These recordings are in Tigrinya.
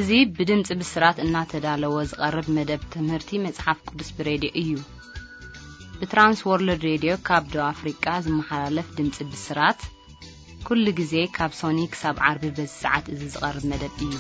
እዚ ብድምጺ ብስራት እናተዳለወ ዝቐርብ መደብ ትምህርቲ መጽሓፍ ቅዱስ ብሬድዮ እዩ። ብትራንስ ወርልድ ሬድዮ ካብ ደቡብ ኣፍሪቃ ዝመሓላለፍ ድምጺ ብስራት፣ ኩሉ ግዜ ካብ ሶኒ ክሳብ ዓርቢ በዚ ሰዓት እዚ ዝቐርብ መደብ እዩ።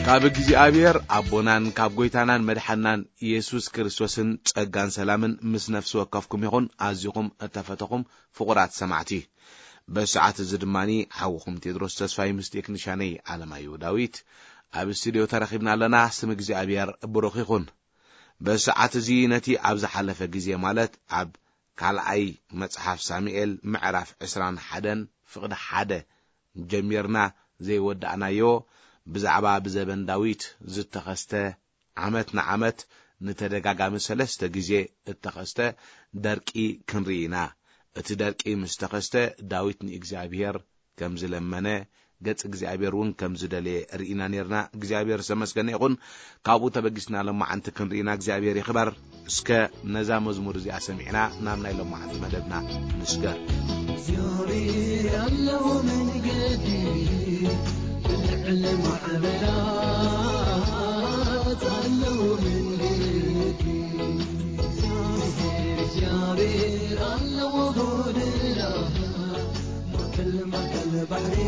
ካብ እግዚኣብሔር ኣቦናን ካብ ጐይታናን መድሓናን ኢየሱስ ክርስቶስን ጸጋን ሰላምን ምስ ነፍሲ ወከፍኩም ይኹን። ኣዚኹም እተፈተኹም ፍቑራት ሰማዕቲ፣ በዚ ሰዓት እዚ ድማ ሓውኹም ቴድሮስ ተስፋይ ምስ ቴክኒሻነይ ኣለማየሁ ዳዊት ኣብ ስቱድዮ ተረኺብና ኣለና። ስም እግዚኣብሔር ብሩኽ ይኹን። በዚ ሰዓት እዚ ነቲ ኣብ ዝሓለፈ ግዜ፣ ማለት ኣብ ካልኣይ መጽሓፍ ሳሙኤል ምዕራፍ ዕስራን ሓደን ፍቕዲ ሓደ ጀሚርና ዘይወዳእናዮ፣ ብዛዕባ ብዘበን ዳዊት ዝተኸስተ፣ ዓመት ንዓመት ንተደጋጋሚ ሰለስተ ግዜ እተኸስተ ደርቂ ክንርኢ ኢና። እቲ ደርቂ ምስ ተኸስተ፣ ዳዊት ንእግዚኣብሔር ከም ዝለመነ፣ ገጽ እግዚኣብሔር እውን ከም ዝደለየ ርኢና ነርና። እግዚኣብሔር ዝተመስገነ ይኹን። ካብኡ ተበጊስና ሎማዓንቲ ክንርኢና እግዚኣብሔር ይኽበር። እስከ ነዛ መዝሙር እዚኣ ሰሚዕና ናብ ናይ ሎማዓንቲ መደብና ንስገር። እግዚኣብሔር ኣለዎ መንገዲ፣ ብልዕሊ ማዕበላት ኣለዎ መንገዲ። እግዚኣብሔር ኣለዎ ጎደና፣ ማእከል ማእከል ባሕሪ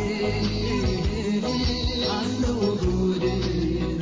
ኣለዎ ጎደና።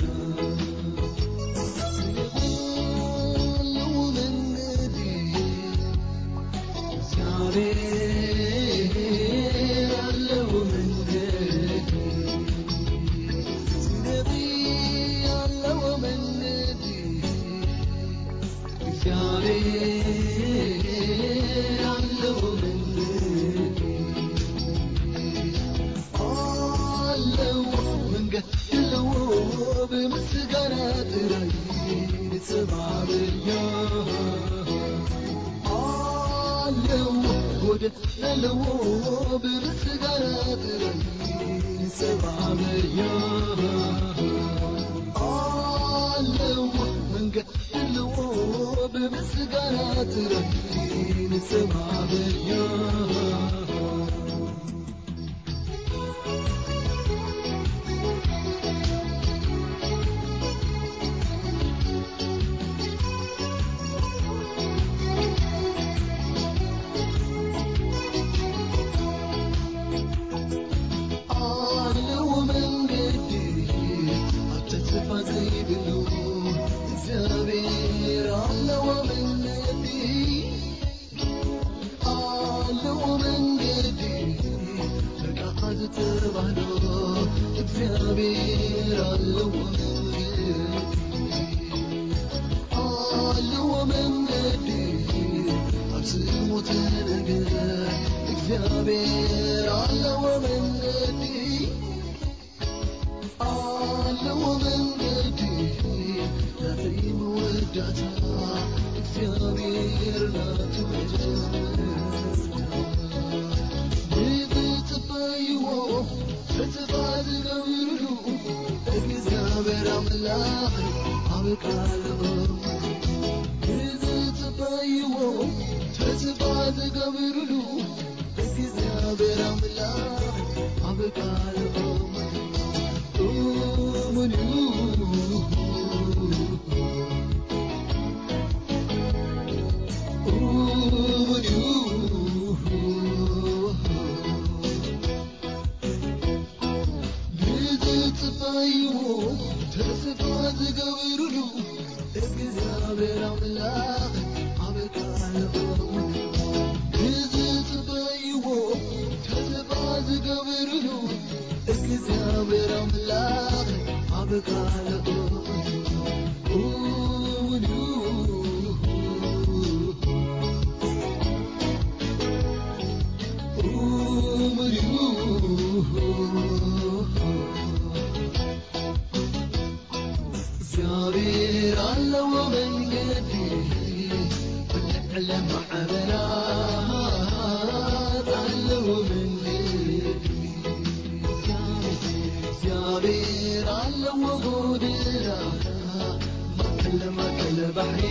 ለማእከል ባሕሪ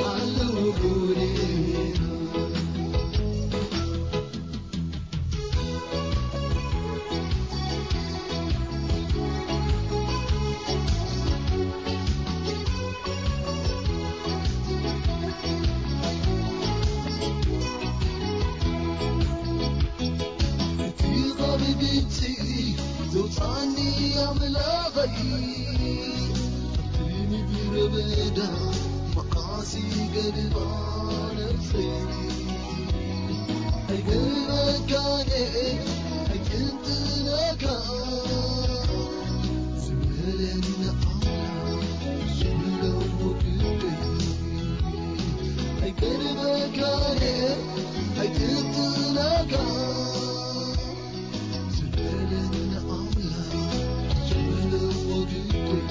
ኣለዉ ጉድና። እቲ ኻብ ግብጺ ዘውጽኣኒ ኣምላኸይ፣ ኣብቲ ምድረ በዳ መዓስ ይገድፋ ነፍሰይ። ኣይገርመካን ኣይጥንጥነካ ዝበለኒ ኣምላኽ ዝብሎ ግደይ። ኣይገርመካን ኣይጥንጥነካ ዝበለኒ ኣምላኽ ዝብሎ ግደይ።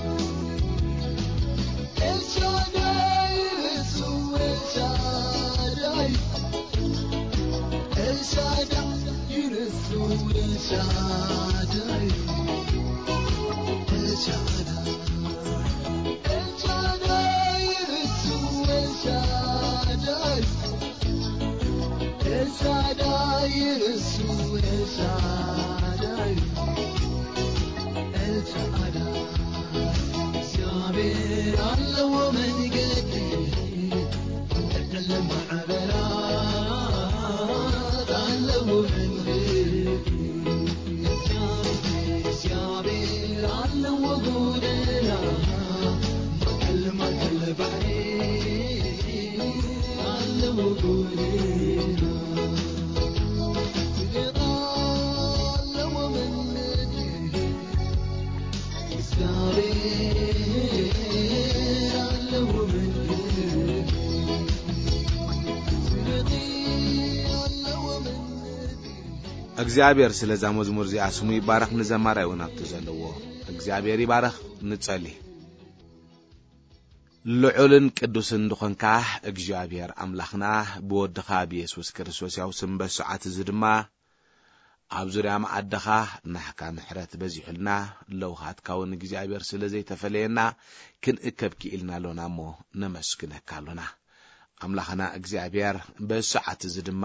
ኤልሻዳይ ንሱ ኤልሻዳይ፣ ኤልሻዳይ ንሱ ኤልሻዳይ፣ ኤልሻዳይ፣ ኤልሻዳይ ንሱ ኤልሻዳይ፣ ኤልሻዳይ ንሱ ኤልሻዳይ፣ ኤልሻዳይ። እግዚኣብሔር ኣለዎ መንገዲ፣ ለማዕበላት ኣለዎ መንገዲ። እግዚኣብሔር፣ እግዚኣብሔር ኣለዎ ጎደና፣ ማእከል፣ ማእከል ባሕሪ ኣለዎ ጎደና። እግዚኣብሔር ስለዛ መዝሙር እዚኣ ስሙ ይባረኽ፣ ንዘማራይ እውን ኣብቲ ዘለዎ እግዚኣብሔር ይባረኽ። ንጸሊ። ልዑልን ቅዱስን ዝኾንካ እግዚኣብሔር ኣምላኽና፣ ብወድኻ ብየሱስ ክርስቶስ ያው ስም በስዓት እዚ ድማ ኣብ ዙርያ መኣድኻ ናህካ ምሕረት በዚሑልና፣ ለውሃትካ እውን እግዚኣብሔር ስለ ዘይተፈለየና ክንእከብ ክኢልና ኣሎና እሞ ነመስግነካ ኣሎና። ኣምላኽና እግዚኣብሔር በዚ ሰዓት እዚ ድማ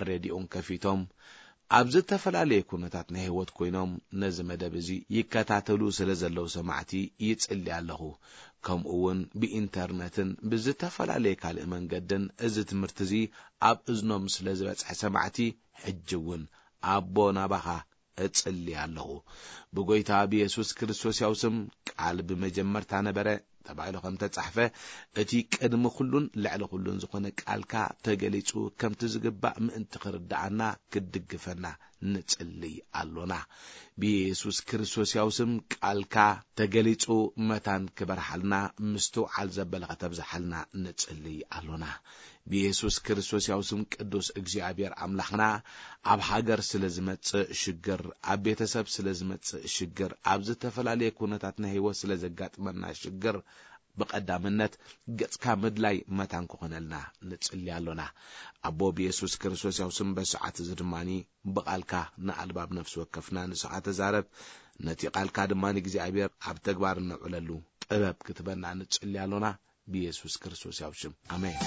ሬድዮን ከፊቶም ኣብ ዝተፈላለየ ኩነታት ናይ ህይወት ኮይኖም ነዚ መደብ እዚ ይከታተሉ ስለ ዘለዉ ሰማዕቲ ይጽሊ ኣለኹ። ከምኡ እውን ብኢንተርነትን ብዝተፈላለየ ካልእ መንገድን እዚ ትምህርቲ እዚ ኣብ እዝኖም ስለ ዝበጽሐ ሰማዕቲ ሕጂ እውን ኣቦ ናባኻ እጽሊ ኣለኹ። ብጎይታ ብየሱስ ክርስቶስ ያው ስም ቃል ብመጀመርታ ነበረ ተባሂሉ ከም ተጻሕፈ፣ እቲ ቅድሚ ኩሉን ልዕሊ ኩሉን ዝኾነ ቃልካ ተገሊጹ ከምቲ ዝግባእ ምእንቲ ክርድኣና ክድግፈና ንጽሊ ኣሎና። ብየሱስ ክርስቶስ ያው ስም ቃልካ ተገሊጹ መታን ክበርሓልና ምስትውዓል ዘበለ ከተብዝሓልና ንጽሊ ኣሎና። ብየሱስ ክርስቶስ ያው ስም ቅዱስ እግዚኣብሔር ኣምላኽና ኣብ ሃገር ስለ ዝመጽእ ሽግር፣ ኣብ ቤተሰብ ስለ ዝመጽእ ሽግር፣ ኣብ ዝተፈላለየ ኩነታት ናይ ህይወት ስለ ዘጋጥመና ሽግር ብቐዳምነት ገጽካ ምድላይ መታን ክኾነልና ንጽሊ ኣሎና። ኣቦ ብየሱስ ክርስቶስ ያው ስም በሰዓት እዚ ድማኒ ብቓልካ ንኣልባብ ነፍሲ ወከፍና ንስኻ ተዛረብ። ነቲ ቓልካ ድማ ንእግዚኣብሔር ኣብ ተግባር እነውዕለሉ ጥበብ ክትበና ንጽሊ ኣሎና። ብየሱስ ክርስቶስ ያው ሽም ኣሜን።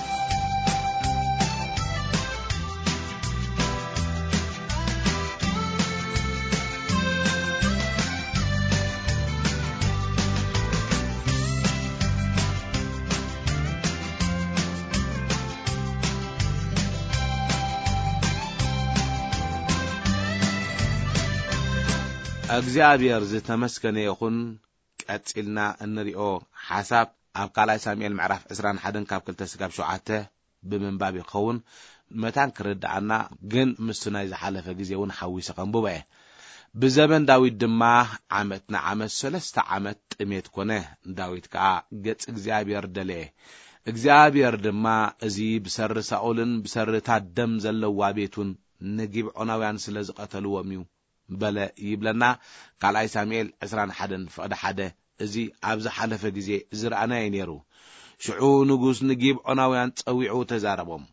እግዚኣብሔር ዝተመስገነ ይኹን። ቀጺልና እንሪኦ ሓሳብ ኣብ ካልኣይ ሳሙኤል ምዕራፍ ዕስራን ሓደን ካብ ክልተ ስጋብ ሸውዓተ ብምንባብ ይኸውን። መታን ክርድኣና ግን ምስቲ ናይ ዝሓለፈ ግዜ እውን ሓዊሰ ከንብቦ እየ። ብዘበን ዳዊት ድማ ዓመት ንዓመት ሰለስተ ዓመት ጥሜት ኮነ። ዳዊት ከኣ ገጽ እግዚኣብሔር ደለየ። እግዚኣብሔር ድማ እዚ ብሰሪ ሳኦልን ብሰሪ እታ ደም ዘለዋ ቤቱን ንጊብዖናውያን ስለ ዝቐተልዎም እዩ በለ ይብለና። ካልኣይ ሳሙኤል ዕስራን ሓደን ፍቕዲ ሓደ። እዚ ኣብ ዝሓለፈ ግዜ ዝረኣናዮ ነይሩ። ሽዑ ንጉስ ንጊብዖናውያን ጸዊዑ ተዛረቦም።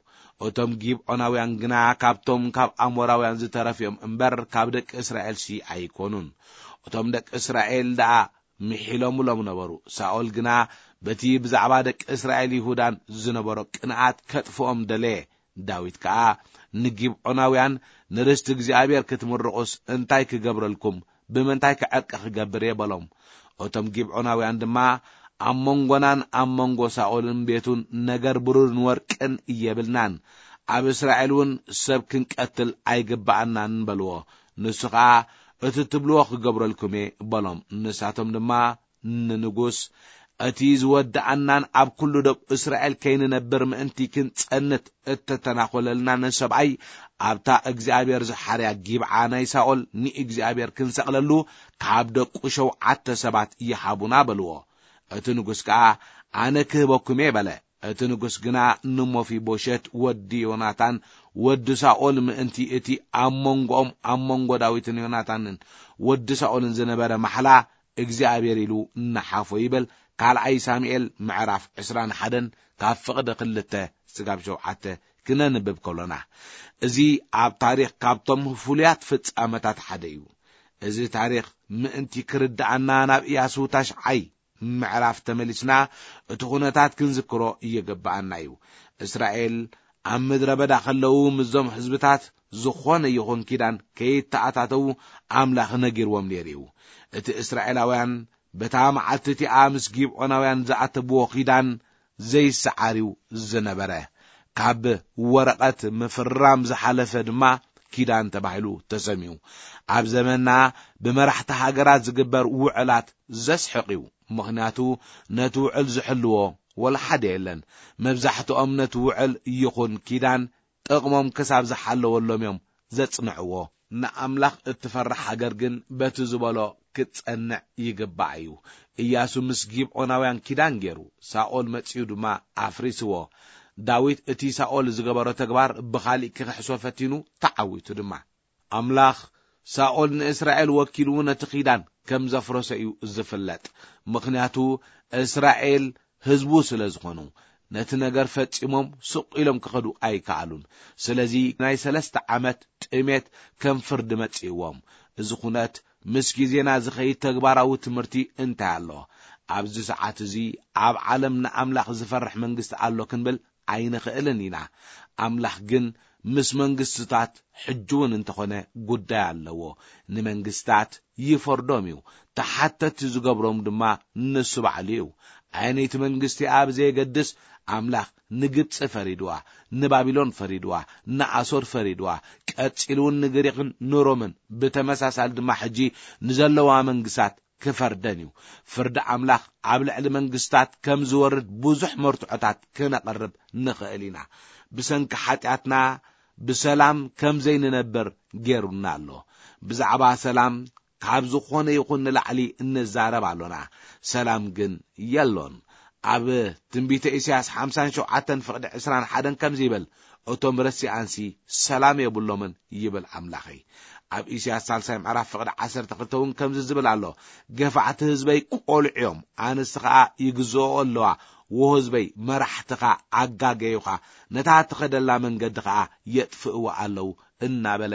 እቶም ጊብዖናውያን ግና ካብቶም ካብ ኣሞራውያን ዝተረፍዮም እምበር ካብ ደቂ እስራኤልሲ ኣይኮኑን። እቶም ደቂ እስራኤል ደኣ ምሒሎምሎም ነበሩ። ሳኦል ግና በቲ ብዛዕባ ደቂ እስራኤል ይሁዳን ዝነበሮ ቅንኣት ከጥፍኦም ደለየ። ዳዊት ከኣ ንጊብዖናውያን፣ "ንርስቲ እግዚኣብሔር ክትምርቑስ እንታይ ክገብረልኩም? ብምንታይ ከ ዕርቂ ክገብር እየ?" በሎም። እቶም ጊብዖናውያን ድማ፣ "ኣብ መንጎናን ኣብ መንጎ ሳኦልን ቤቱን ነገር ብሩርን ወርቅን የብልናን። ኣብ እስራኤል እውን ሰብ ክንቀትል ኣይግብኣናን" በልዎ። ንሱ ኸኣ፣ "እቲ ትብልዎ ክገብረልኩም እየ" በሎም። ንሳቶም ድማ ንንጉስ፣ "እቲ ዝወድኣናን ኣብ ኩሉ ደብ እስራኤል ከይንነብር ምእንቲ ክንጸንት እተተናኾለልና ንሰብኣይ፣ ኣብታ እግዚኣብሔር ዝሓርያ ጊብዓ ናይ ሳኦል ንእግዚኣብሔር ክንሰቕለሉ ካብ ደቁ ሸውዓተ ሰባት ይሃቡና" በልዎ። እቲ ንጉስ ከኣ፣ "ኣነ ክህበኩም እየ" በለ። እቲ ንጉስ ግና ንሞፊቦሸት ወዲ ዮናታን ወዲ ሳኦል ምእንቲ እቲ ኣብ መንጎኦም፣ ኣብ መንጎ ዳዊትን ዮናታንን ወዲ ሳኦልን ዝነበረ ማሕላ እግዚኣብሔር ኢሉ ንሓፎ ይብል። ካልኣይ ሳሙኤል ምዕራፍ ዕስራን ሓደን ካብ ፍቕዲ ክልተ ስጋብ ሸውዓተ ክነንብብ ከሎና፣ እዚ ኣብ ታሪኽ ካብቶም ፍሉያት ፍጻመታት ሓደ እዩ። እዚ ታሪኽ ምእንቲ ክርድኣና ናብ ኢያሱ ታሽዓይ ምዕራፍ ተመሊስና እቲ ኩነታት ክንዝክሮ ይግብኣና እዩ። እስራኤል ኣብ ምድረ በዳ ከለዉ ምስዞም ህዝብታት ዝኾነ ይኹን ኪዳን ከይተኣታተዉ ኣምላኽ ነጊርዎም ነይሩ እዩ። እቲ እስራኤላውያን በታ መዓልቲ እቲኣ ምስ ጊብዖናውያን ዝኣተብዎ ኪዳን ዘይሰዓር እዩ ዝነበረ። ካብ ወረቐት ምፍራም ዝሓለፈ ድማ ኪዳን ተባሂሉ ተሰሚዩ። ኣብ ዘመንና ብመራሕቲ ሃገራት ዝግበር ውዕላት ዘስሕቕ እዩ። ምኽንያቱ ነቲ ውዕል ዝሕልዎ ወላ ሓደ የለን። መብዛሕትኦም ነቲ ውዕል ይኹን ኪዳን ጥቕሞም ክሳብ ዝሓለወሎም እዮም ዘጽንዕዎ። ንኣምላኽ እትፈርሕ ሃገር ግን በቲ ዝበሎ ክትጸንዕ ይግባእ እዩ። ኢያሱ ምስ ጊብዖናውያን ኪዳን ገይሩ፣ ሳኦል መጺኡ ድማ ኣፍሪስዎ። ዳዊት እቲ ሳኦል ዝገበሮ ተግባር ብኻሊእ ክኽሕሶ ፈቲኑ፣ ተዓዊቱ ድማ። ኣምላኽ ሳኦል ንእስራኤል ወኪሉ ነቲ ኪዳን ከም ዘፍረሰ እዩ ዝፍለጥ። ምኽንያቱ እስራኤል ህዝቡ ስለ ዝኾኑ፣ ነቲ ነገር ፈጺሞም ስቕ ኢሎም ክኸዱ ኣይከኣሉን። ስለዚ ናይ ሰለስተ ዓመት ጥሜት ከም ፍርዲ መጺእዎም። እዚ ኩነት ምስ ግዜና ዝኸይድ ተግባራዊ ትምህርቲ እንታይ ኣሎ? ኣብዚ ሰዓት እዚ ኣብ ዓለም ንኣምላኽ ዝፈርሕ መንግስቲ ኣሎ ክንብል ኣይንኽእልን ኢና። ኣምላኽ ግን ምስ መንግስትታት ሕጂ እውን እንተኾነ ጉዳይ ኣለዎ። ንመንግስታት ይፈርዶም እዩ፣ ተሓተቲ ዝገብሮም ድማ ንሱ ባዕሉ እዩ። ኣየነይቲ መንግስቲ እያ ብዘየገድስ፣ ኣምላኽ ንግብጺ ፈሪድዋ፣ ንባቢሎን ፈሪድዋ፣ ንኣሶር ፈሪድዋ፣ ቀጺሉ እውን ንግሪኽን ንሮምን፣ ብተመሳሳሊ ድማ ሕጂ ንዘለዋ መንግስታት ክፈርደን እዩ። ፍርዲ ኣምላኽ ኣብ ልዕሊ መንግስታት ከም ዝወርድ ብዙሕ መርትዖታት ክነቕርብ ንኽእል ኢና። ብሰንኪ ሓጢኣትና ብሰላም ከም ዘይንነብር ገይሩና ኣሎ። ብዛዕባ ሰላም ካብ ዝኾነ ይኹን ንላዕሊ እንዛረብ ኣሎና፣ ሰላም ግን የሎን። ኣብ ትንቢተ ኢሳያስ ሓምሳን ሸውዓተን ፍቕዲ ዕስራን ሓደን ከምዚ ይብል፣ "እቶም ረሲኣንሲ ሰላም የብሎምን" ይብል ኣምላኸይ። ኣብ ኢሳያስ ሳልሳይ ምዕራፍ ፍቕዲ ዓሰርተ ክልተ እውን ከምዚ ዝብል ኣሎ፣ "ገፋዕቲ ህዝበይ ቆልዑ እዮም፣ ኣንስቲ ኸኣ ይግዝኦ ኣለዋ፣ ወ ህዝበይ መራሕትኻ ኣጋገዩኻ፣ ነታ ትኸደላ መንገዲ ኸኣ የጥፍእዋ ኣለዉ" እናበለ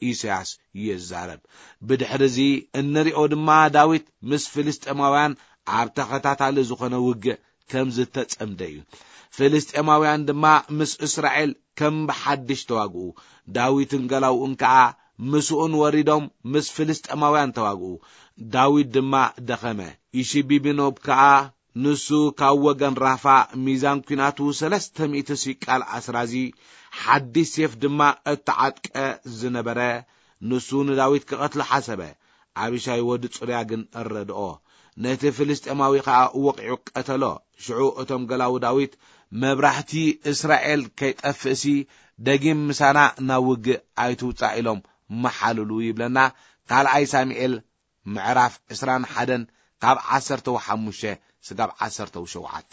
ኢሳያስ ይዛረብ። ብድሕሪ እዚ እንሪኦ ድማ ዳዊት ምስ ፍልስጤማውያን ኣብ ተኸታታሊ ዝኾነ ውግእ ከም ዝተጸምደ እዩ። ፍልስጤማውያን ድማ ምስ እስራኤል ከም ብሓድሽ ተዋግኡ። ዳዊትን ገላውኡን ከኣ ምስኡን ወሪዶም ምስ ፍልስጤማውያን ተዋግኡ። ዳዊት ድማ ደኸመ። ኢሺቢቢኖብ ከኣ ንሱ ካብ ወገን ራፋ ሚዛን ኲናቱ ሰለስተ ሚእቲ ሲቃል ኣስራዚ፣ ሓድሽ ሴፍ ድማ እተዓጥቀ ዝነበረ፣ ንሱ ንዳዊት ክቐትሎ ሓሰበ። ኣቢሻይ ወዲ ጽሩያ ግን ረድኦ። ነቲ ፍልስጤማዊ ኸኣ ወቒዑ ቀተሎ። ሽዑ እቶም ገላዉ ዳዊት፣ "መብራህቲ እስራኤል ከይጠፍእሲ ደጊም ምሳና ናብ ውግእ ኣይትውጻእ" ኢሎም መሓልሉ ይብለና ካልኣይ ሳሙኤል ምዕራፍ ዕስራን ሓደን ካብ ዓሰርተ ሓሙሽተ ስጋብ ዓሰርተ ሸውዓተ።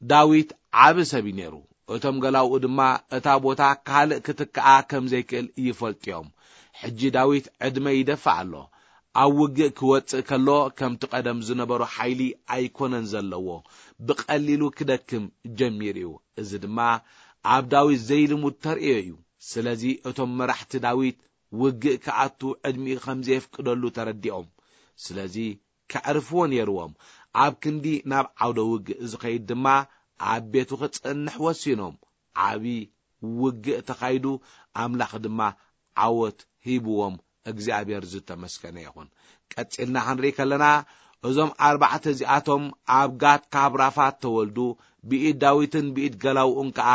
ዳዊት ዓቢ ሰብ እዩ ነይሩ። እቶም ገላውኡ ድማ እታ ቦታ ካልእ ክትከኣ ከም ዘይክእል ይፈልጡ እዮም። ሕጂ ዳዊት ዕድመ ይደፍእ ኣሎ። ኣብ ውግእ ክወጽእ ከሎ ከምቲ ቀደም ዝነበሮ ሓይሊ ኣይኮነን ዘለዎ። ብቐሊሉ ክደክም ጀሚሩ እዩ። እዚ ድማ ኣብ ዳዊት ዘይልሙድ ተርእዮ እዩ። ስለዚ እቶም መራሕቲ ዳዊት ውግእ ክኣቱ ዕድሚኡ ከም ዘየፍቅደሉ ተረዲኦም። ስለዚ ከዕርፍዎ ነይርዎም። ኣብ ክንዲ ናብ ዓውደ ውግእ ዝኸይድ ድማ ኣብ ቤቱ ክጸንሕ ወሲኖም። ዓቢ ውግእ ተኻይዱ፣ ኣምላኽ ድማ ዓወት ሂብዎም። እግዚኣብሔር ዝተመስገነ ይኹን። ቀጺልና ክንርኢ ከለና፣ እዞም ኣርባዕተ እዚኣቶም ኣብ ጋት ካብ ራፋት ተወልዱ፣ ብኢድ ዳዊትን ብኢድ ገላውኡን ከኣ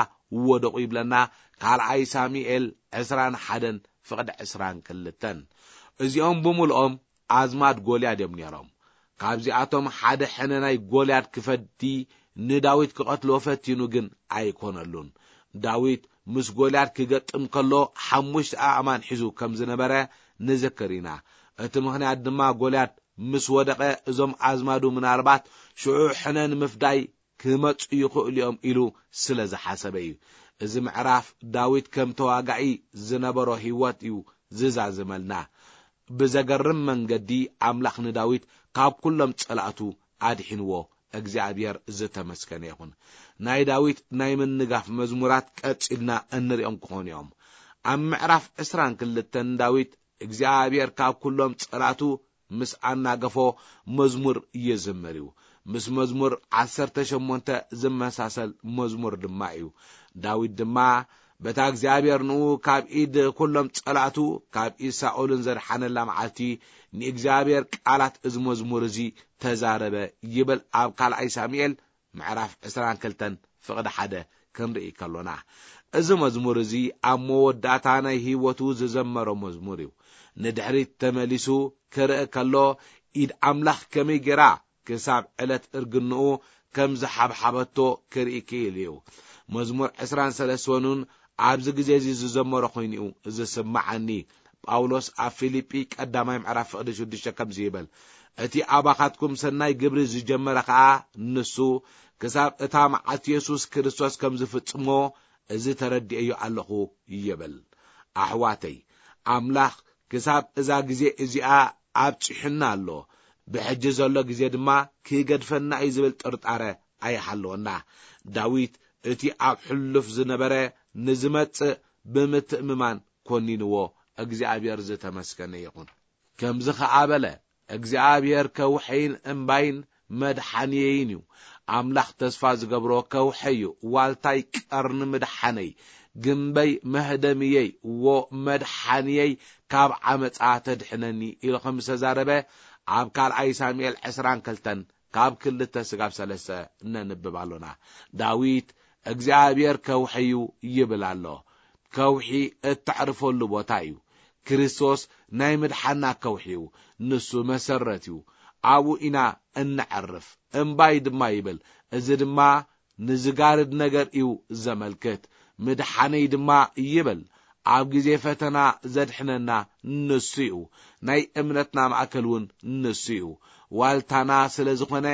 ወደቑ ይብለና። ካልኣይ ሳሙኤል ዕስራን ሓደን ፍቕዲ ዕስራን ክልተን። እዚኦም ብምልኦም ኣዝማድ ጎልያድ እዮም ነይሮም። ካብዚኣቶም ሓደ ሕነ ናይ ጎልያድ ክፈዲ ንዳዊት ክቐትሎ ፈቲኑ ግን ኣይኮነሉን። ዳዊት ምስ ጎልያድ ክገጥም ከሎ ሓሙሽተ ኣእማን ሒዙ ከም ዝነበረ ንዝክር ኢና። እቲ ምኽንያት ድማ ጎልያድ ምስ ወደቐ እዞም ኣዝማዱ ምናልባት ሽዑ ሕነ ንምፍዳይ ክመጹ ይኽእሉ እዮም ኢሉ ስለ ዝሓሰበ እዩ። እዚ ምዕራፍ ዳዊት ከም ተዋጋኢ ዝነበሮ ህይወት እዩ ዝዛዝመልና። ብዘገርም መንገዲ ኣምላኽ ንዳዊት ካብ ኩሎም ጸላእቱ ኣድሒንዎ። እግዚኣብሔር ዝተመስገነ ይኹን። ናይ ዳዊት ናይ ምንጋፍ መዝሙራት ቀጺልና እንሪኦም ክኾኑ እዮም። ኣብ ምዕራፍ ዕስራን ክልተን ዳዊት እግዚኣብሔር ካብ ኩሎም ጸላእቱ ምስ ኣናገፎ መዝሙር ይዝምር እዩ። ምስ መዝሙር ዓሰርተ ሸሞንተ ዝመሳሰል መዝሙር ድማ እዩ። ዳዊት ድማ በታ እግዚኣብሔር ንኡ ካብ ኢድ ኩሎም ጸላእቱ ካብ ኢድ ሳኦልን ዘድሓነላ መዓልቲ ንእግዚኣብሔር ቃላት እዚ መዝሙር እዚ ተዛረበ ይብል ኣብ ካልኣይ ሳሙኤል ምዕራፍ ዕስራን ክልተን ፍቕዲ ሓደ ክንርኢ ከሎና። እዚ መዝሙር እዚ ኣብ መወዳእታ ናይ ህይወቱ ዝዘመሮ መዝሙር እዩ። ንድሕሪት ተመሊሱ ክርኢ ከሎ ኢድ ኣምላኽ ከመይ ጌራ ክሳብ ዕለት እርግንኡ ከም ዝሓብሓበቶ ክርኢ ክኢሉ እዩ። መዝሙር ዕስራን ሰለስተን እውን ኣብዚ ግዜ እዚ ዝዘመሮ ኮይኑ እዩ ዝስምዓኒ። ጳውሎስ ኣብ ፊልጲ ቀዳማይ ምዕራፍ ፍቕዲ ሽዱሽተ ከምዚ ይብል፣ እቲ ኣባኻትኩም ሰናይ ግብሪ ዝጀመረ ኸኣ ንሱ ክሳብ እታ መዓልቲ የሱስ ክርስቶስ ከም ዝፍጽሞ እዚ ተረዲኤዮ ኣለኹ ይብል። ኣሕዋተይ፣ ኣምላኽ ክሳብ እዛ ግዜ እዚኣ ኣብጺሑና ኣሎ። ብሕጂ ዘሎ ግዜ ድማ ክገድፈና እዩ ዝብል ጥርጣረ ኣይሃለወና። ዳዊት እቲ ኣብ ሕሉፍ ዝነበረ ንዝመጽእ ብምትእምማን ኮኒንዎ። እግዚኣብሔር ዝተመስገነ ይኹን። ከምዚ ኸኣ በለ፣ እግዚኣብሔር ከውሐይን እምባይን መድሓንየይን እዩ። ኣምላኽ ተስፋ ዝገብሮ ከውሐይ እዩ። ዋልታይ ቀርኒ ምድሓነይ፣ ግምበይ መህደምየይ፣ ዎ መድሓንየይ ካብ ዓመፃ ተድሕነኒ ኢሉ ከም ዝተዛረበ ኣብ ካልኣይ ሳሙኤል ዕስራን ክልተን ካብ ክልተ ስጋብ ሰለስተ ነንብብ ኣሎና። ዳዊት እግዚኣብሔር ከውሐይ እዩ ይብል ኣሎ። ከውሒ እተዕርፈሉ ቦታ እዩ። ክርስቶስ ናይ ምድሓና ከውሒ እዩ። ንሱ መሰረት እዩ። ኣብኡ ኢና እንዕርፍ። እምባይ ድማ ይብል። እዚ ድማ ንዝጋርድ ነገር እዩ ዘመልክት። ምድሓነይ ድማ ይብል። ኣብ ግዜ ፈተና ዘድሕነና ንሱ እዩ። ናይ እምነትና ማእከል እውን ንሱ እዩ። ዋልታና ስለ ዝኾነ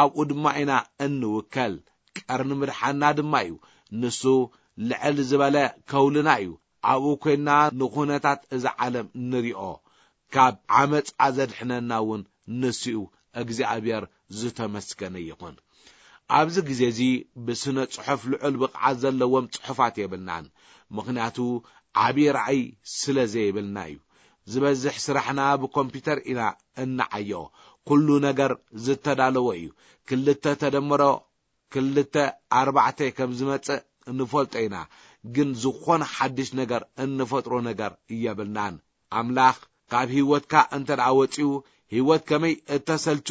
ኣብኡ ድማ ኢና እንውከል። ቀርኒ ምድሓና ድማ እዩ። ንሱ ልዕል ዝበለ ከውልና እዩ። ኣብኡ ኮይንና ንኹነታት እዛ ዓለም ንሪኦ። ካብ ዓመፃ ዘድሕነና እውን ንሱ እዩ። እግዚኣብሔር ዝተመስገነ ይኹን። ኣብዚ ግዜ እዚ ብስነ ጽሑፍ ልዑል ብቕዓት ዘለዎም ጽሑፋት የብልናን። ምኽንያቱ ዓብዪ ራእይ ስለ ዘይብልና እዩ። ዝበዝሕ ስራሕና ብኮምፒውተር ኢና እንዓዮ። ኩሉ ነገር ዝተዳለወ እዩ። ክልተ ተደምሮ ክልተ ኣርባዕተ ከም ዝመጽእ እንፈልጦ ኢና። ግን ዝኾነ ሓድሽ ነገር እንፈጥሮ ነገር የብልናን። ኣምላኽ ካብ ህይወትካ እንተ ደኣ ወጺኡ፣ ህይወት ከመይ እተሰልቹ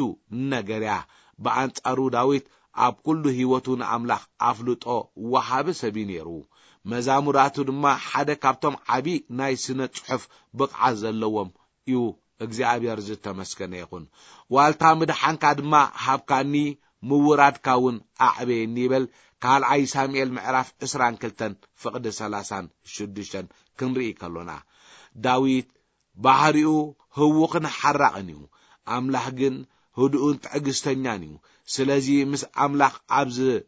ነገር እያ። ብኣንጻሩ ዳዊት ኣብ ኩሉ ህይወቱ ንኣምላኽ ኣፍልጦ ወሃቢ ሰብ እዩ ነይሩ። መዛሙራቱ ድማ ሓደ ካብቶም ዓቢ ናይ ስነ ጽሑፍ ብቕዓት ዘለዎም እዩ። እግዚኣብሔር ዝተመስገነ ይኹን። ዋልታ ምድሓንካ ድማ ሃብካኒ፣ ምውራድካ እውን ኣዕበየኒ ይብል ካልኣይ ሳሙኤል ምዕራፍ ዕስራን ክልተን ፍቕዲ ሰላሳን ሽዱሽተን ክንርኢ ከሎና። ዳዊት ባህሪኡ ህውኽን ሓራቕን እዩ። ኣምላኽ ግን ህዱእን ትዕግስተኛን እዩ። ስለዚ ምስ ኣምላኽ ኣብ ዝ-፣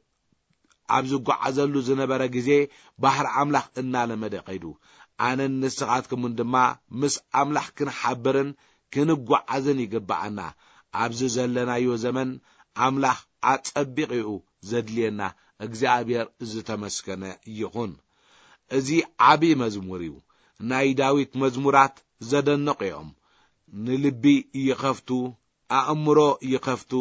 ኣብ ዝጓዓዘሉ ዝነበረ ግዜ ባሕሪ ኣምላኽ እናለመደ ከይዱ። ኣነን ንስኻትኩምን ድማ ምስ ኣምላኽ ክንሓብርን ክንጓዓዝን ይግብኣና። ኣብዚ ዘለናዮ ዘመን ኣምላኽ ኣጸቢቑ እዩ ዘድልየና። እግዚኣብሔር ዝተመስገነ ይኹን። እዚ ዓቢ መዝሙር እዩ። ናይ ዳዊት መዝሙራት ዘደንቑ እዮም። ንልቢ ይኸፍቱ፣ ኣእምሮ ይኸፍቱ፣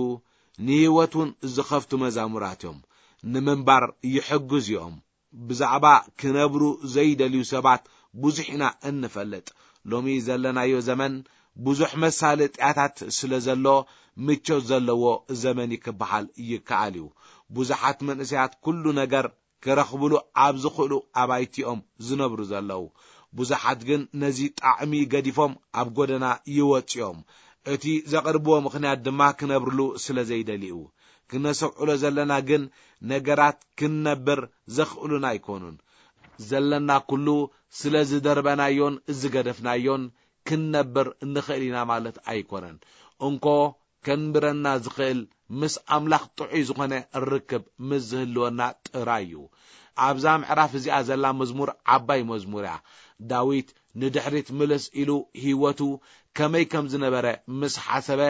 ንህይወት እውን ዝኸፍቱ መዛሙራት እዮም። ንምንባር ይሕግዙ እዮም። ብዛዕባ ክነብሩ ዘይደልዩ ሰባት ብዙሕ ኢና እንፈልጥ። ሎሚ ዘለናዮ ዘመን ብዙሕ መሳለጥያታት ስለ ዘሎ፣ ምቾት ዘለዎ ዘመን እዩ ክበሃል ይከኣል እዩ። ብዙሓት መንእሰያት ኩሉ ነገር ክረኽብሉ ኣብ ዝኽእሉ ኣባይቲ እዮም ዝነብሩ ዘለዉ። ብዙሓት ግን ነዚ ጣዕሚ ገዲፎም ኣብ ጎደና ይወጽኡ እዮም። እቲ ዘቕርብዎ ምኽንያት ድማ ክነብርሉ ስለ ዘይደልዩ። ክነሰብዕሎ ዘለና ግን ነገራት ክንነብር ዘኽእሉና ኣይኮኑን። ዘለና ኩሉ ስለ ዝደርበናዮን ዝገደፍናዮን ክንነብር ንኽእል ኢና ማለት ኣይኮነን። እንኮ ከንብረና ዝኽእል ምስ ኣምላኽ ጥዑይ ዝኾነ ርክብ ምስ ዝህልወና ጥራይ እዩ። ኣብዛ ምዕራፍ እዚኣ ዘላ መዝሙር ዓባይ መዝሙር እያ። ዳዊት ንድሕሪት ምልስ ኢሉ ህይወቱ ከመይ ከም ዝነበረ ምስ ሓሰበ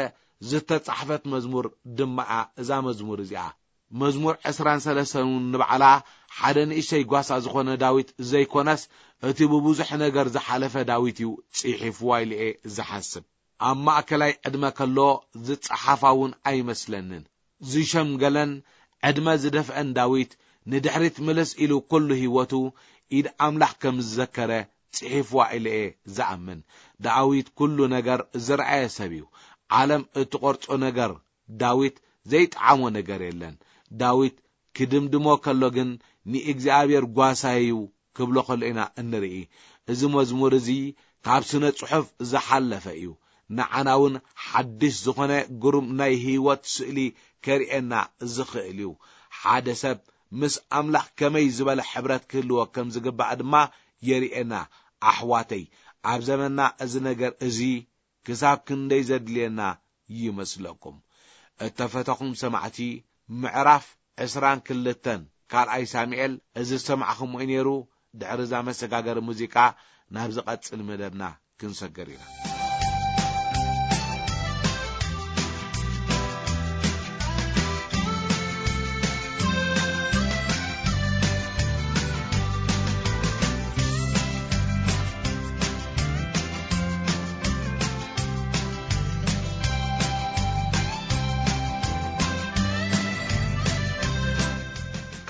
ዝተጻሕፈት መዝሙር ድማ እያ እዛ መዝሙር እዚኣ። መዝሙር ዕስራን ሰለስተን እውን ንባዕላ ሓደ ንእሽተይ ጓሳ ዝኾነ ዳዊት ዘይኮነስ፣ እቲ ብብዙሕ ነገር ዝሓለፈ ዳዊት እዩ ጽሒፍዋ ኢሉ እየ ዝሓስብ። ኣብ ማእከላይ ዕድመ ከሎ ዝጸሓፋ እውን ኣይመስለንን። ዝሸምገለን ዕድመ ዝደፍአን ዳዊት ንድሕሪት ምልስ ኢሉ ኩሉ ህይወቱ ኢድ ኣምላኽ ከም ዝዘከረ ጽሒፍዋ ኢለ እየ ዝኣምን። ዳዊት ኩሉ ነገር ዝረኣየ ሰብ እዩ። ዓለም እትቖርጾ ነገር ዳዊት ዘይጠዓሞ ነገር የለን። ዳዊት ክድምድሞ ከሎ ግን ንእግዚኣብሔር ጓሳይ እዩ ክብሎ ከሎ ኢና እንርኢ። እዚ መዝሙር እዚ ካብ ስነ ጽሑፍ ዝሓለፈ እዩ። ንዓና እውን ሓድሽ ዝኾነ ግሩም ናይ ህይወት ስእሊ ከርእየና ዝኽእል እዩ። ሓደ ሰብ ምስ ኣምላኽ ከመይ ዝበለ ሕብረት ክህልዎ ከም ዝግባእ ድማ የርእየና። ኣሕዋተይ፣ ኣብ ዘመንና እዚ ነገር እዚ ክሳብ ክንደይ ዘድልየና ይመስለኩም? እተፈተኹም ሰማዕቲ፣ ምዕራፍ ዕስራን ክልተን ካልኣይ ሳሙኤል እዚ ዝሰማዕኹምዎ እዩ ነይሩ። ድሕሪ እዛ መሰጋገሪ ሙዚቃ ናብ ዝቐጽል መደብና ክንሰግር ኢና።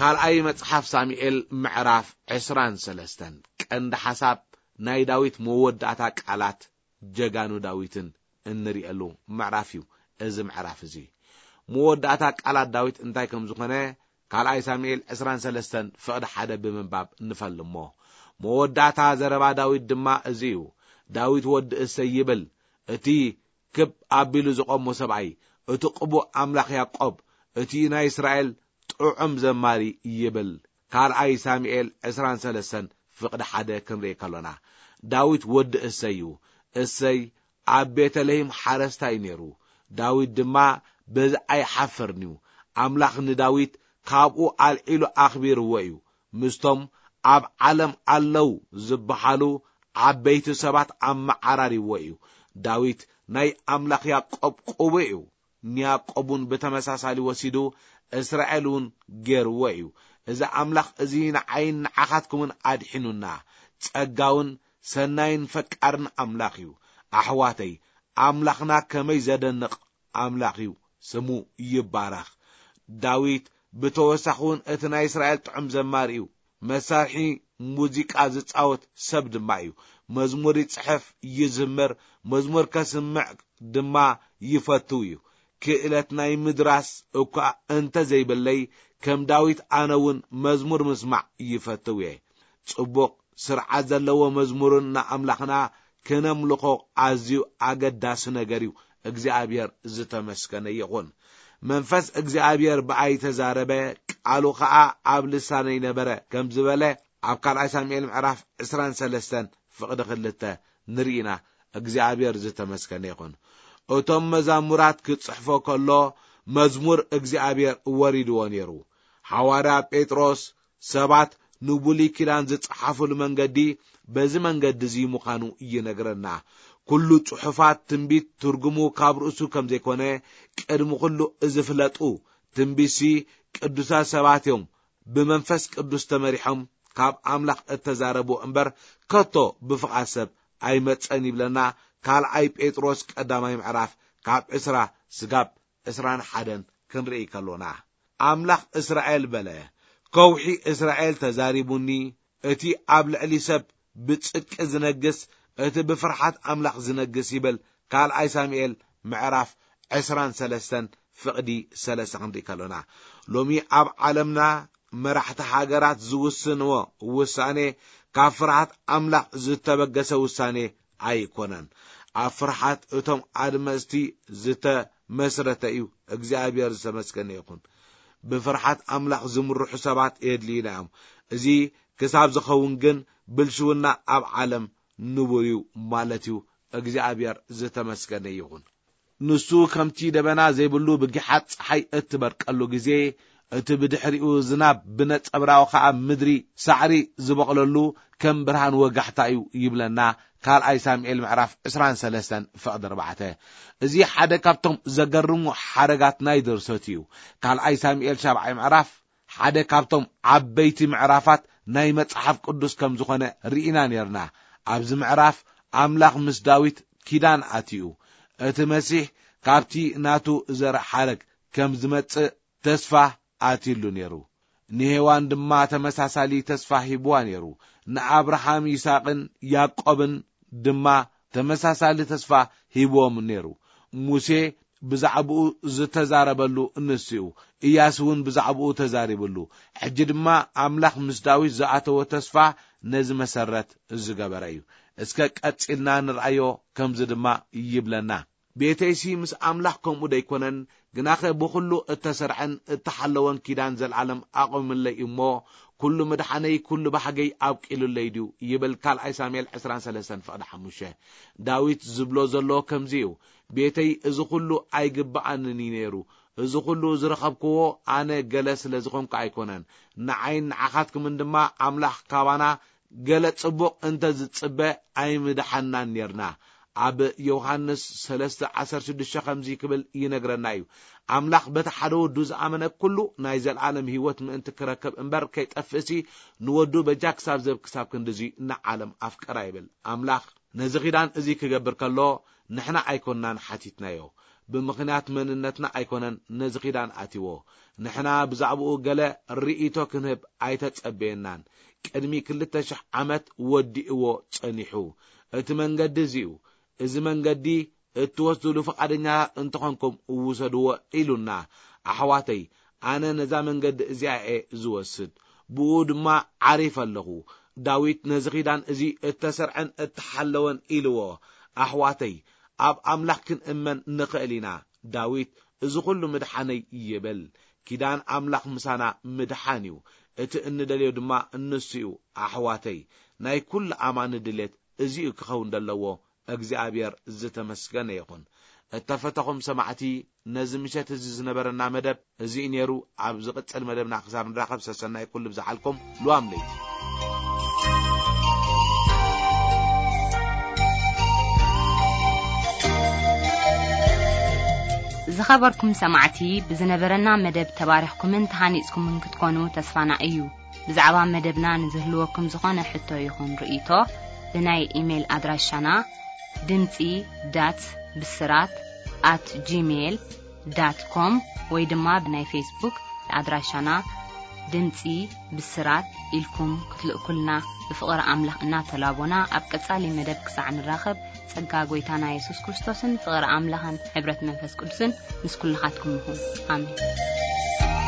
ካልኣይ መጽሓፍ ሳሙኤል ምዕራፍ ዕስራን ሰለስተን። ቀንዲ ሓሳብ ናይ ዳዊት መወዳእታ ቃላት ጀጋኑ ዳዊትን እንርእየሉ ምዕራፍ እዩ። እዚ ምዕራፍ እዚ መወዳእታ ቃላት ዳዊት እንታይ ከም ዝኾነ ካልኣይ ሳሙኤል ዕስራን ሰለስተን ፍቕዲ ሓደ ብምንባብ ንፈልሞ። መወዳእታ ዘረባ ዳዊት ድማ እዚ እዩ። ዳዊት ወዲ እሰይ ይብል። እቲ ክብ ኣቢሉ ዝቖሞ ሰብኣይ፣ እቲ ቅቡእ ኣምላኽ ያዕቆብ፣ እቲ ናይ እስራኤል ጥዑም ዘማሪ ይብል። ካልኣይ ሳሙኤል ዕስራን ሰለስተን ፍቕዲ ሓደ ክንርኢ ከሎና፣ ዳዊት ወዲ እሰይ እዩ። እሰይ ኣብ ቤተልሔም ሓረስታይ ነይሩ። ዳዊት ድማ በዚ ኣይሓፈርን እዩ። ኣምላኽ ንዳዊት ካብኡ ኣልዒሉ ኣኽቢርዎ እዩ። ምስቶም ኣብ ዓለም ኣለዉ ዝበሃሉ ዓበይቲ ሰባት ኣመዓራሪዎ እዩ። ዳዊት ናይ ኣምላኽ ያዕቆብ ቅቡእ እዩ። ንያዕቆብ እውን ብተመሳሳሊ ወሲዱ እስራኤል እውን ገይርዎ እዩ። እዚ ኣምላኽ እዚ ንዓይን ንዓኻትኩምን ኣድሒኑና፣ ጸጋውን ሰናይን ፈቃርን ኣምላኽ እዩ። ኣሕዋተይ፣ ኣምላኽና ከመይ ዘደንቕ ኣምላኽ እዩ፣ ስሙ ይባረኽ። ዳዊት ብተወሳኺ እውን እቲ ናይ እስራኤል ጥዑም ዘማሪ እዩ። መሳርሒ ሙዚቃ ዝጻወት ሰብ ድማ እዩ። መዝሙር ይጽሕፍ፣ ይዝምር፣ መዝሙር ከስምዕ ድማ ይፈትው እዩ። ክእለት ናይ ምድራስ እኳ እንተ ዘይብለይ፣ ከም ዳዊት ኣነ እውን መዝሙር ምስማዕ ይፈትው እየ። ጽቡቕ ስርዓት ዘለዎ መዝሙርን ንኣምላኽና ክነምልኾ ኣዝዩ ኣገዳሲ ነገር እዩ። እግዚኣብሔር ዝተመስገነ ይኹን። መንፈስ እግዚኣብሔር ብኣይ ተዛረበ፣ ቃሉ ኸኣ ኣብ ልሳነይ ነበረ ከም ዝበለ ኣብ ካልኣይ ሳሙኤል ምዕራፍ ዕስራን ሰለስተን ፍቕዲ ክልተ ንርኢና። እግዚኣብሔር ዝተመስገነ ይኹን። እቶም መዛሙራት ክጽሕፎ ከሎ መዝሙር እግዚኣብሔር ወሪድዎ ነይሩ። ሓዋርያ ጴጥሮስ ሰባት ንብሉይ ኪዳን ዝጸሓፉሉ መንገዲ በዚ መንገዲ እዚ ምዃኑ ይነግረና። ኩሉ ጽሑፋት ትንቢት ትርጉሙ ካብ ርእሱ ከም ዘይኮነ ቅድሚ ኩሉ እዚ ፍለጡ። ትንቢትሲ ቅዱሳት ሰባት እዮም ብመንፈስ ቅዱስ ተመሪሖም ካብ ኣምላኽ እተዛረቡ እምበር ከቶ ብፍቓድ ሰብ ኣይመጸን ይብለና ካልኣይ ጴጥሮስ ቀዳማይ ምዕራፍ ካብ ዕስራ ስጋብ ዕስራን ሓደን ክንርኢ ከሎና፣ ኣምላኽ እስራኤል በለ፣ ከውሒ እስራኤል ተዛሪቡኒ፣ እቲ ኣብ ልዕሊ ሰብ ብጽድቂ ዝነግስ፣ እቲ ብፍርሓት ኣምላኽ ዝነግስ ይብል። ካልኣይ ሳሙኤል ምዕራፍ ዕስራን ሰለስተን ፍቕዲ ሰለስተ ክንርኢ ከሎና፣ ሎሚ ኣብ ዓለምና መራሕቲ ሃገራት ዝውስንዎ ውሳኔ ካብ ፍርሃት ኣምላኽ ዝተበገሰ ውሳኔ ኣይኮነን። ኣብ ፍርሃት እቶም ኣድመፅቲ ዝተመስረተ እዩ። እግዚኣብሔር ዝተመስገነ ይኹን። ብፍርሃት ኣምላኽ ዝምርሑ ሰባት የድልዩና እዮም። እዚ ክሳብ ዝኸውን ግን ብልሽውና ኣብ ዓለም ንቡር እዩ ማለት እዩ። እግዚኣብሔር ዝተመስገነ ይኹን። ንሱ ከምቲ ደበና ዘይብሉ ብጊሓት ጸሓይ እትበርቀሉ ግዜ፣ እቲ ብድሕሪኡ ዝናብ ብነጸብራቑ ኸኣ ምድሪ ሳዕሪ ዝበቕለሉ ከም ብርሃን ወጋሕታ እዩ ይብለና። ካልኣይ ሳሙኤል ምዕራፍ ዕስራን ሰለስተን ፍቕዲ ኣርባዕተ። እዚ ሓደ ካብቶም ዘገርሙ ሓረጋት ናይ ድርሰት እዩ። ካልኣይ ሳሙኤል ሻብዓይ ምዕራፍ ሓደ ካብቶም ዓበይቲ ምዕራፋት ናይ መጽሓፍ ቅዱስ ከም ዝኾነ ርኢና ኔርና። ኣብዚ ምዕራፍ ኣምላኽ ምስ ዳዊት ኪዳን ኣትዩ። እቲ መሲሕ ካብቲ ናቱ ዘር ሓረግ ከም ዝመጽእ ተስፋ ኣትዩሉ ኔሩ። ንሄዋን ድማ ተመሳሳሊ ተስፋ ሂብዋ ኔሩ። ንኣብርሃም፣ ይስሐቅን ያዕቆብን ድማ ተመሳሳሊ ተስፋ ሂብዎም ኔሩ። ሙሴ ብዛዕባኡ ዝተዛረበሉ ንሱ እዩ። ኢያሱ እውን ብዛዕባኡ ተዛሪብሉ። ሕጂ ድማ ኣምላኽ ምስ ዳዊት ዝኣተዎ ተስፋ ነዚ መሰረት ዝገበረ እዩ። እስከ ቀጺልና ንርኣዮ፣ ከምዚ ድማ ይብለና። ቤተይሲ ምስ ኣምላኽ ከምኡ ደይኮነን? ግናኸ ብኹሉ እተሰርዐን እተሓለወን ኪዳን ዘልኣለም ኣቑምለይ እሞ፣ ኩሉ ምድሓነይ፣ ኩሉ ባህገይ ኣብቂሉለይ ድዩ? ይብል ካልኣይ ሳሙኤል ዕስራን ሰለስተን ፍቕዲ ሓሙሽተ። ዳዊት ዝብሎ ዘሎ ከምዚ እዩ፣ ቤተይ፣ እዚ ኩሉ ኣይግብኣንን እዩ ነይሩ። እዚ ኩሉ ዝረኸብክዎ ኣነ ገለ ስለ ዝኾንኩ ኣይኮነን። ንዓይን ንዓኻትኩምን ድማ ኣምላኽ ካባና ገለ ጽቡቕ እንተ ዝጽበ ኣይምድሓንናን ኔርና። ኣብ ዮሃንስ ሰለስተ ዓሰርተ ሽዱሽተ ከምዚ ክብል ይነግረና እዩ፣ ኣምላኽ በቲ ሓደ ወዱ ዝኣመነ ኩሉ ናይ ዘለኣለም ህይወት ምእንቲ ክረክብ እምበር ከይጠፍእሲ፣ ንወዱ በጃ ክሳብ ዝህብ ክሳብ ክንድዚ ንዓለም ኣፍቀራ ይብል። ኣምላኽ ነዚ ኺዳን እዚ ክገብር ከሎ ንሕና ኣይኮንናን ሓቲትናዮ። ብምኽንያት መንነትና ኣይኮነን ነዚ ኺዳን ኣትይዎ። ንሕና ብዛዕባኡ ገለ ርእይቶ ክንህብ ኣይተጸበየናን። ቅድሚ ክልተ ሽሕ ዓመት ወዲእዎ ጸኒሑ። እቲ መንገዲ እዚ እዩ። እዚ መንገዲ እትወስዱሉ ፍቓደኛ እንተኾንኩም ውሰድዎ ኢሉና። ኣሕዋተይ፣ ኣነ ነዛ መንገዲ እዚኣ እየ ዝወስድ፣ ብኡ ድማ ዓሪፈ ኣለኹ። ዳዊት ነዚ ኺዳን እዚ እተሰርዐን እተሓለወን ኢልዎ። ኣሕዋተይ፣ ኣብ ኣምላኽ ክንእመን ንኽእል ኢና። ዳዊት፣ እዚ ኹሉ ምድሓነይ ይብል። ኪዳን ኣምላኽ ምሳና ምድሓን እዩ። እቲ እንደልዮ ድማ ንሱ እዩ። ኣሕዋተይ፣ ናይ ኩሉ ኣማኒ ድሌት እዚ እዩ ክኸውን ዘለዎ። እግዚኣብሔር ዝተመስገነ ይኹን። እተፈተኹም ሰማዕቲ፣ ነዚ ምሸት እዚ ዝነበረና መደብ እዚ እዩ ነይሩ። ኣብ ዝቕጽል መደብና ክሳብ ንራኸብ፣ ሰሰናይ ኩሉ ብዝሓልኩም። ልዋም ለይቲ። ዝኸበርኩም ሰማዕቲ፣ ብዝነበረና መደብ ተባሪኽኩምን ተሃኒጽኩምን ክትኮኑ ተስፋና እዩ። ብዛዕባ መደብና ንዝህልወኩም ዝኾነ ሕቶ ይኹን ርእይቶ፣ ብናይ ኢሜይል ኣድራሻና ድምጺ ዳት ብስራት ኣት ጂሜይል ዳት ኮም ወይ ድማ ብናይ ፌስቡክ ኣድራሻና ድምጺ ብስራት ኢልኩም ክትልእኩልና ብፍቕሪ ኣምላኽ እናተላቦና፣ ኣብ ቀጻሊ መደብ ክሳዕ ንራኸብ፣ ጸጋ ጐይታና የሱስ ክርስቶስን ፍቕሪ ኣምላኽን ሕብረት መንፈስ ቅዱስን ምስ ኩልኻትኩም ይኹን። ኣሜን።